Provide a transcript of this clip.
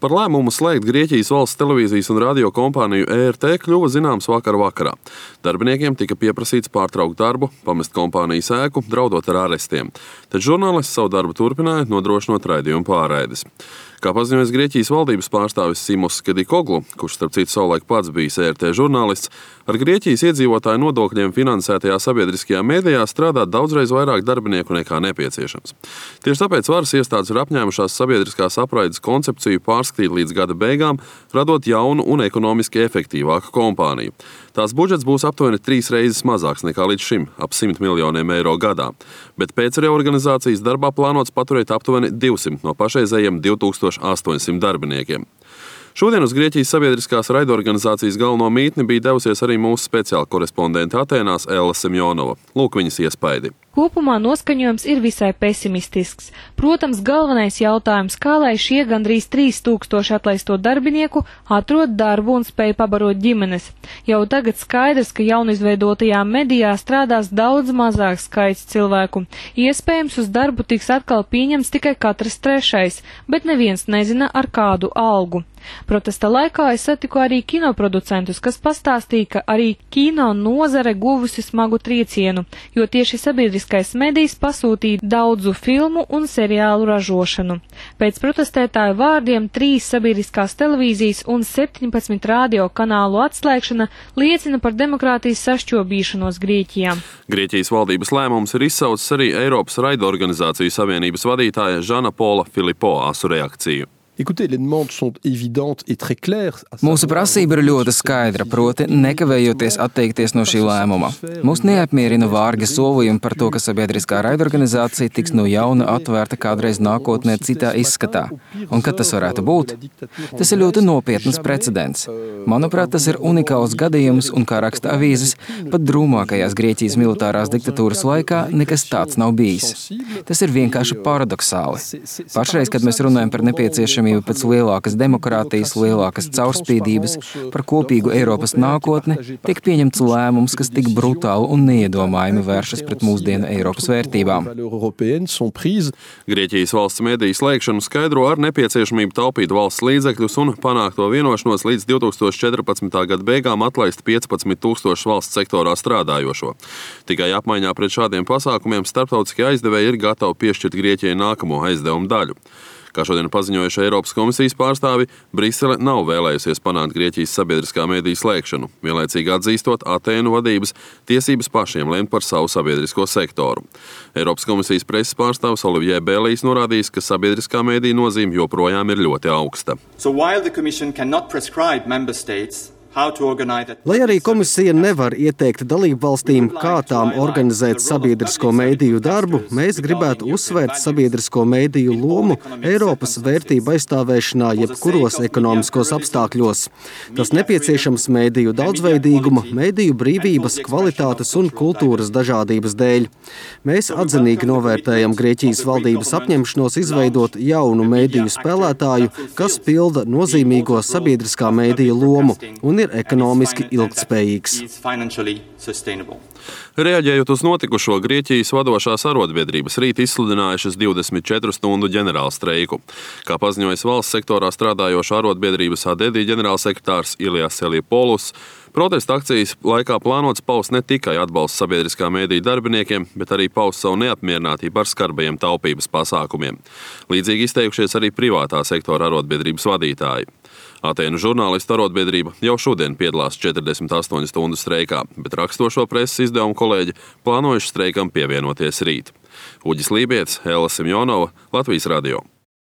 Par lēmumu slēgt Grieķijas valsts televīzijas un radio kompāniju ERT kļuva zināms vakar vakarā. Darbiniekiem tika pieprasīts pārtraukt darbu, pamest kompānijas ēku, draudot ar arestiem. Taču žurnālisti savu darbu turpināja, nodrošinot raidījumu pārraides. Kā paziņojas Grieķijas valdības pārstāvis Simos Kedikoglu, kurš starp citu savulaik pats bijis ERT žurnālists, ar Grieķijas iedzīvotāju nodokļiem finansētajā sabiedriskajā mēdījā strādā daudzreiz vairāk darbinieku nekā nepieciešams. Tieši tāpēc varas iestādes ir apņēmušās sabiedriskās apraides koncepciju pārskatīt līdz gada beigām, radot jaunu un ekonomiski efektīvāku kompāniju. Tās budžets būs aptuveni 3 reizes mazāks nekā līdz šim, ap 100 miljoniem eiro gadā, bet pēc reorganizācijas darbā plānots paturēt aptuveni 200 no pašreizējiem 2800 darbiniekiem. Šodien uz Grieķijas sabiedriskās raidorganizācijas galveno mītni bija devusies arī mūsu speciāla korespondente Atēnās Ella Semjonova. Lūk viņas iespaidi. Kopumā noskaņojums ir visai pesimistisks. Protams, galvenais jautājums, kā lai šie gandrīz 3000 atlaisto darbinieku atrod darbu un spēj pabarot ģimenes. Jau tagad skaidrs, ka jaunizveidotajā medijā strādās daudz mazāks skaits cilvēku. Iespējams, uz darbu tiks atkal pieņemts tikai katrs trešais, bet neviens nezina ar kādu algu. Protesta laikā es satiku arī kinoproducentus, kas pastāstīja, ka arī kino nozare guvusi smagu triecienu, jo tieši sabiedriskais medijs pasūtīja daudzu filmu un seriālu ražošanu. Pēc protestētāju vārdiem 3 sabiedriskās televīzijas un 17 radio kanālu atslēgšana liecina par demokrātijas sašķobīšanos Grieķijā. Grieķijas valdības lēmums ir izsaucis arī Eiropas raidorganizāciju savienības vadītāja Žana Pola Filipo asu reakciju. Mūsu prasība ir ļoti skaidra, proti nekavējoties atteikties no šī lēmuma. Mūs neapmierina vārgi solījumi par to, ka sabiedriskā raidorganizācija tiks no jauna atvērta kādreiz nākotnē citā izskatā. Un kad tas varētu būt? Tas ir ļoti nopietnas precedents. Manuprāt, tas ir unikāls gadījums un, kā raksta avīzes, pat drūmākajās Grieķijas militārās diktatūras laikā nekas tāds nav bijis. Tas ir vienkārši paradoxāli. Pašreiz, kad mēs runājam par nepieciešamību pēc lielākas demokrātijas, lielākas caurspīdības, par kopīgu Eiropas nākotni, tiek pieņemts lēmums, kas tik brutāli un neiedomājami vēršas pret mūsdienu Eiropas vērtībām. Grieķijas valsts mediju slēgšanu skaidro ar nepieciešamību taupīt valsts līdzekļus un panākto vienošanos līdz 2014. gada beigām atlaist 15 000 valsts sektorā strādājošo. Tikai apmaiņā pret šādiem pasākumiem starptautiskie aizdevēji ir gatavi piešķirt Grieķijai nākamo aizdevumu daļu. Kā šodien paziņojuši Eiropas komisijas pārstāvi, Brisele nav vēlējusies panākt Grieķijas sabiedriskā mediju slēgšanu, vienlaicīgi atzīstot Atēnu vadības tiesības pašiem lemt par savu sabiedrisko sektoru. Eiropas komisijas preses pārstāvis Olivier Bēlijs norādījis, ka sabiedriskā mediju nozīme joprojām ir ļoti augsta. Lai arī komisija nevar ieteikt dalību valstīm, kā tām organizēt sabiedrisko mediju darbu, mēs gribētu uzsvērt sabiedrisko mediju lomu Eiropas vērtību aizstāvēšanā jebkuros ekonomiskos apstākļos. Tas nepieciešams mediju daudzveidīguma, mediju brīvības, kvalitātes un kultūras dažādības dēļ. Mēs atzinīgi novērtējam Grieķijas valdības apņemšanos izveidot jaunu mediju spēlētāju, kas pilda nozīmīgo sabiedriskā mediju lomu un ir ekonomiski ilgtspējīgs. Reaģējot uz notikušo, Grieķijas vadošās arotbiedrības rīt izsludinājušas 24 stundu ģenerālstreiku. Kā paziņojis valsts sektorā strādājošā arotbiedrības ADEDI ģenerālsekretārs Ilias Eliopoulos, protesta akcijas laikā plānots paust ne tikai atbalsts sabiedriskā mediju darbiniekiem, bet arī paust savu neapmierinātību ar skarbajiem taupības pasākumiem. Līdzīgi izteikušies arī privātā sektora arotbiedrības vadītāji. Atēnu žurnālistu arotbiedrība jau šodien piedalās 48 stundu streikā, bet rakstošo preses izdevumu kolēģi plānojuši streikam pievienoties rīt. Uģis Lībietis, Ella Semjonova, Latvijas radio.